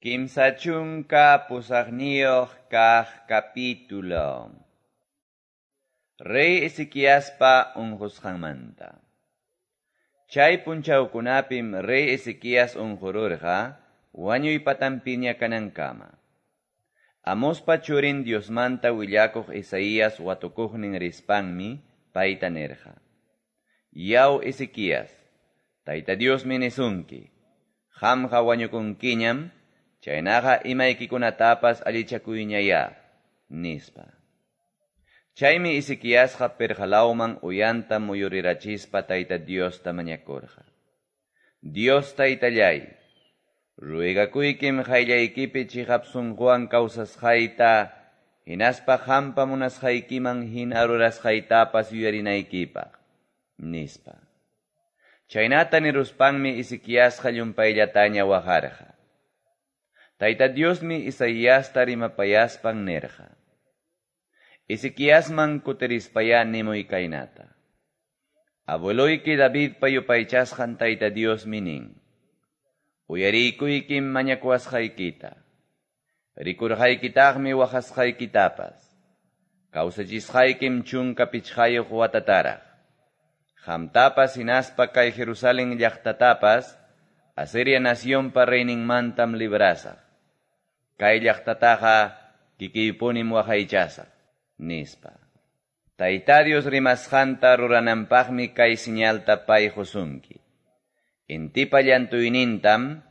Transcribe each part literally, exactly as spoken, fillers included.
Kimsa chunka pusaqniyuq kaq capítulo. Rey Ezequiaspa unqusqanmanta. Chay punchawkunapim rey Ezequías unqururqa wañuy patanpiña kanankama. Amospa churin Diosmanta willakuq Isaías watukuqnin rispanmi payta nirqa: Yaw Ezequías, Tayta Diosmi nisunki, qamqa wañukunkiñam, chaynaqa imaykikunatapas allichakuyñayá, nispa. Chaymi Ezequiasqa pirqalawman uyanta muyurirachispa Tayta Diosta mañakurqa: Dios Taytallay, ruegakuykim qayllaykipi chiqap sunquwan kawsasqayta, hinaspa qampa munasqaykiman hina rurasqaytapas yuyarinaykipaq, nispa. Chaynata niruspanmi Ezequiasqa llumpayllataña waqarqa. Tayta Diosmi Isaiasta rimapayaspan nirqa: Ezequiasman kutirispayá nimuy kaynata: Abueloyki Davidpa yupaychasqan Tayta Diosmi nin: Uyariykuykim mañakuwasqaykita, rikurqaykitaqmi waqasqaykitapas, kawsachisqaykim chunka pichqayuq watataraq. Qamtapas hinaspa kay Jerusalén llaqtatapas Asiria nacionpa reyninmantam librasaq. Kay llaqtataqa kikiypunim waqaychasaq, nispa. Tayta Dios rimasqanta rurananpaqmi kay señalta pay qusunki. Intipa llantuynintam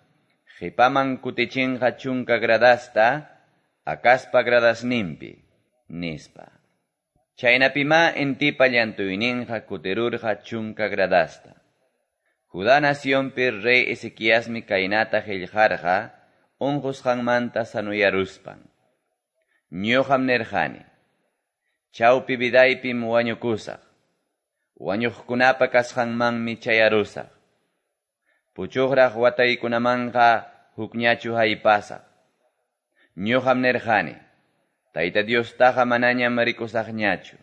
qipaman kutichinqa chunka gradasta Acazpa gradasninpi, nispa. Chaynapimá intipa llantuyninqa kutirurqa chunka gradasta. Judá nacionpi rey Ezequiasmi kaynata qillqarqa unqusqanmanta sanuyaruspan: Ñuqam nirqani, chawpi vidaypim wañukusaq, wañuqkunapa kasqanmanmi chayarusaq. Puchuqraq wataykunamanqa hukñachu haypasaq. Ñuqam nirqani, Tayta Diostaqa manañam rikusaqñachu.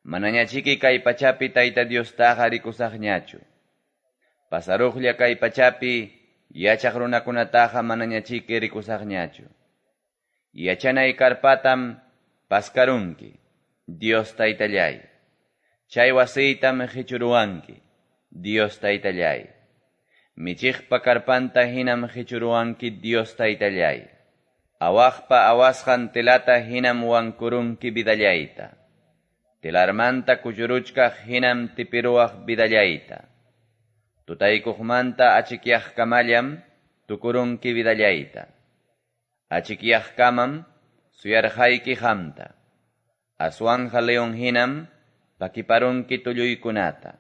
Manañachiki kay pachapi Tayta Diostaqa rikusaqñachu. Pasaruqlla kay pachapi yachaq runakunataqa manañachiki rikusaqñachu. Yachanay karpatam paskarunki, Dios Taytallay. Chay wasiytam qichuruwanki, Dios Taytallay. Michiqpa karpanta hinam qichuruwanki, Dios Taytallay. Awaqpa awasqan telata hinam wankurunki vidallayta. Telarmanta kuchuruchkaq hinam tipiruwaq vidallayta. Tutaykuqmanta achikyaqkamallam tukurunki vidallayta. Achikyaqkamam suyarqayki qamta. Aswanja león hinam pakiparunki tulluykunata.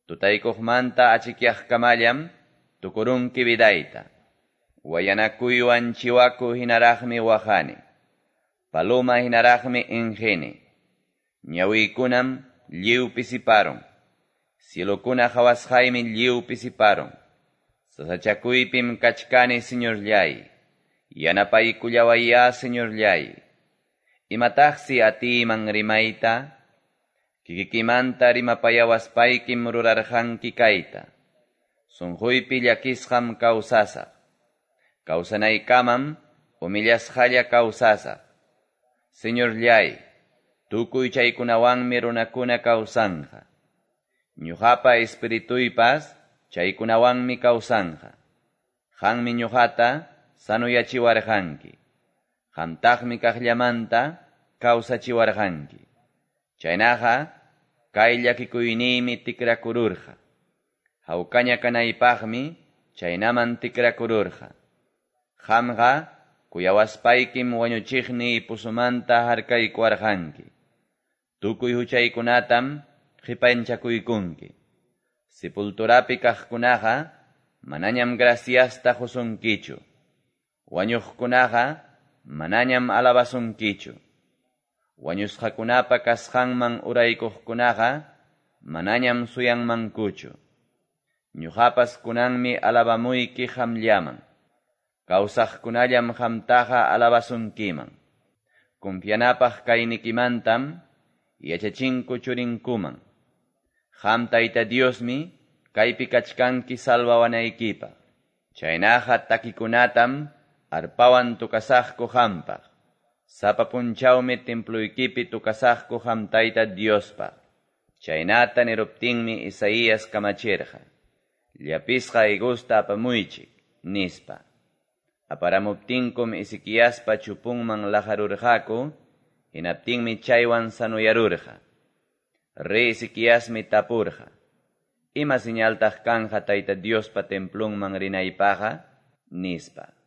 Tutaykuqmanta achikyaqkamallam tukurunki vidayta. Wayanakuywan chiwaku hinaraqmi waqani. Paloma hinaraqmi inqini. Ñawiykunam lliw pisiparun. Cielokuna qawasqaymi lliw pisiparun. Sasachakuypim kachkani, Señorllay. Yanapaykullawayá, Señorllay. Imataqsi atiyman rimayta? Kikikimanta rimapayawaspaykim rurarqanki kayta. Sunquypi llakisqam kawsasaq. Kawsanaykamam humillasqalla kawsasaq. Señorllay, tukuy chaykunawanmi runakuna kawsanqa. Ñuqapa espirituypas chaykunawanmi kawsanqa. Qanmi ñuqata sanuyachiwarqanki. Qamtaqmi kaqllamanta kawsachiwarqanki. Chaynaqa kay llakikuyniymi tikrakururqa. Hawkaña kanaypaqmi chaynaman tikrakururqa. Qamqa kuyawaspaykim wañuchiqniy pusumanta harkaykuwarqanki. Tukuy huchaykunatam qipanchakuykunki. Sepulturapi kaqkunaqa manañam graciasta qusunkichu. Wañuqkunaqa manañam alabasunkichu. Wañusqakunapa kasqanman uraykuqkunaqa manañam suyanmankuchu. Ñuqapas kunanmi alabamuyki qamllaman. Kawsaqkunallam qamtaqa alabasunkiman. Confianapaq kaynikimantam yachachinku churinkuman. Qam Tayta Diosmi kaypi kachkanki salvawanaykipaq. Chaynaqa takikunatam Arpawan tocasaqku qampaq. Sapa punchawmi temploykipi tocasaqku qam Tayta Diospaq. Chaynata niruptinmi Isaias kamachirqa, Llapisqa higosta apamuychik, nispa. Aparamuptinkum Ezequiaspa chupunman laqarurqaku, hinaptinmi chaywan sanoyarurqa. Rey Ezequiasmi tapurqa, Ima señaltaq kanqa Tayta Diospa templonman rinaypaqqa? Nispa.